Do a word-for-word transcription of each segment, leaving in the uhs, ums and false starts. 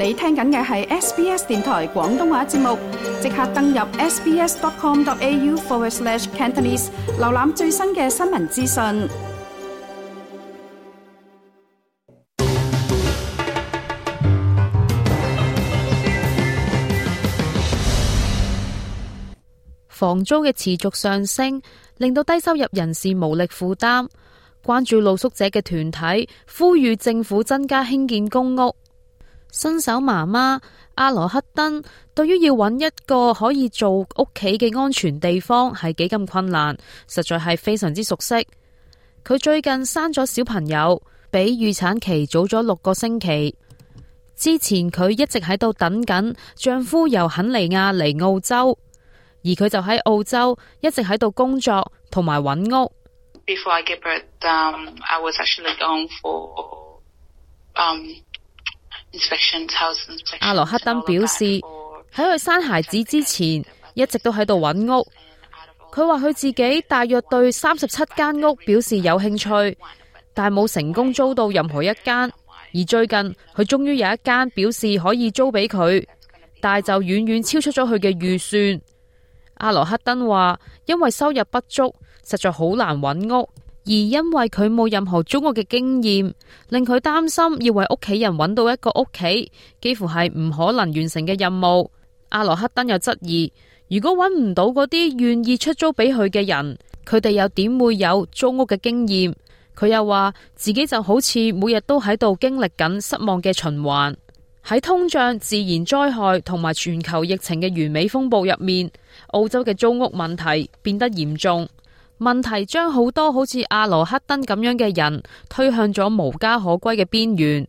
你聽緊嘅係 S B S 電台廣東話節目，即刻登入 sbs.com.au forward slash Cantonese， 瀏覽最新嘅新聞資訊。房租嘅持續上升，令到低收入人士無力負擔。關注露宿者嘅團體呼籲政府增加興建公屋。新手媽媽阿羅克登對於要揾一個可以做屋企嘅安全地方係幾咁困難，實在係非常之熟悉。佢最近生咗小朋友，比預產期早咗六個星期。之前佢一直喺度等緊丈夫由肯尼亞嚟澳洲，而佢就喺澳洲一直喺度工作同埋揾屋。Before I gave birth, um, I was actually going for um, inspections, house inspections. 阿羅克登表示喺佢生孩子之前一直都喺度揾屋。佢話佢自己大約對三十七間屋表示有興趣，但冇成功租到任何一間。而最近佢終於有一間表示可以租俾佢，但係就遠遠超出咗佢嘅預算。阿羅克登話因為收入不足，實在好難揾屋，而因為佢冇任何租屋嘅經驗，令佢擔心要為屋企人揾到一個屋企，幾乎係唔可能完成嘅任務。阿羅克登又質疑，如果揾唔到嗰啲願意出租俾佢嘅人，佢哋又點會有租屋嘅經驗？佢又話自己就好似每日都喺度經歷緊失望嘅循環。喺通脹、自然災害同埋全球疫情嘅完美風暴入面，澳洲嘅租屋問題變得嚴重。問題將好多好似阿羅克登咁樣嘅人推向咗無家可歸嘅邊緣。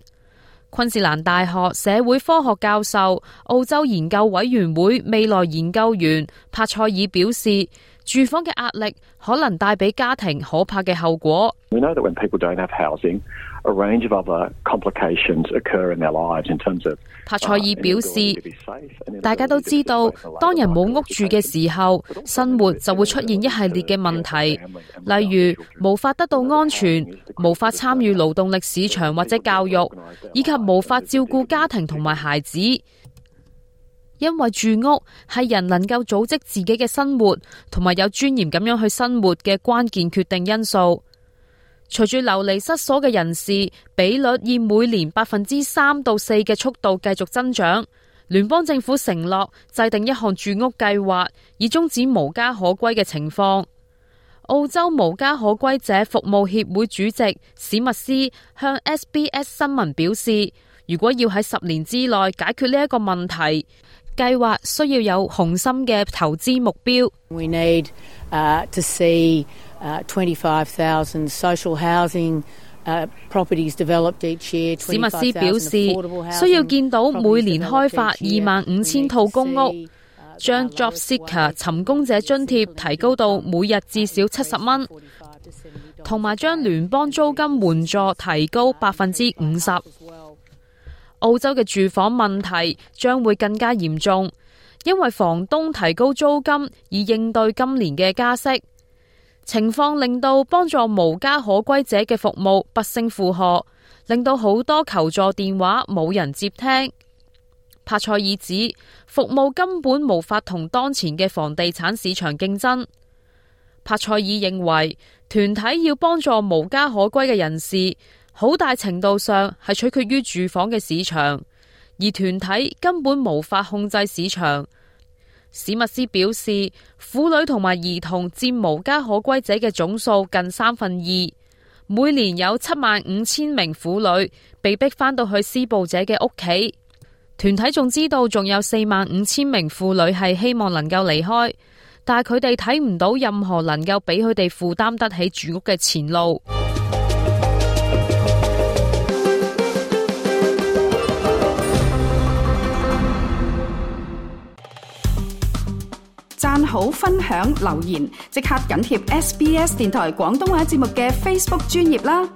昆士蘭大學社會科學教授、澳洲研究委員會未來研究員帕塞爾表示，住房嘅壓力可能帶俾家庭可怕嘅後果。We know that when people don't have housing, a range of other complications occur in their lives in terms of. 帕塞爾表示，大家都知道，當人冇屋住嘅時候，生活就會出現一系列嘅問題，例如無法得到安全、無法參與勞動力市場或者教育，以及無法照顧家庭同埋孩子。因為住屋係人能夠組織自己嘅生活同埋有尊嚴咁樣去生活嘅關鍵決定因素。隨住流離失所嘅人士比率以每年百分之三到四嘅速度繼續增長，聯邦政府承諾制定一項住屋計劃，以終止無家可歸嘅情況。澳洲無家可歸者服務協會主席史密斯向 S B S 新聞表示，如果要喺十年之內解決呢一個問題，計劃需要有雄心嘅投資目標。We need, uh, to see Uh, twenty-five thousand social housing uh, properties developed each year. 史密斯表示，需要見到每年開發二萬五千套公屋，將 Job Seeker 尋工者津貼提高到每日至少七十蚊，同埋將聯邦租金援助提高百分之五十。澳洲嘅住房問題將會更加嚴重，因為房東提高租金以應對今年嘅加息。情況令到幫助無家可歸者嘅服務不勝負荷，令到好多求助電話冇人接聽。帕塞爾指服務根本無法同當前嘅房地產市場競爭。帕塞爾認為團體要幫助無家可歸嘅人士，好大程度上係取決於住房嘅市場，而團體根本無法控制市場。史密斯表示，婦女同埋兒童佔無家可歸者嘅總數近三分二，每年有七萬五千名婦女被逼返到去施暴者嘅屋企。團體仲知道仲有四萬五千名婦女係希望能夠離開，但係佢哋睇唔到任何能夠俾佢哋負擔得起住屋嘅前路。讚好、分享、留言，即刻緊貼 S B S 電台廣東話節目嘅 Facebook 專頁啦！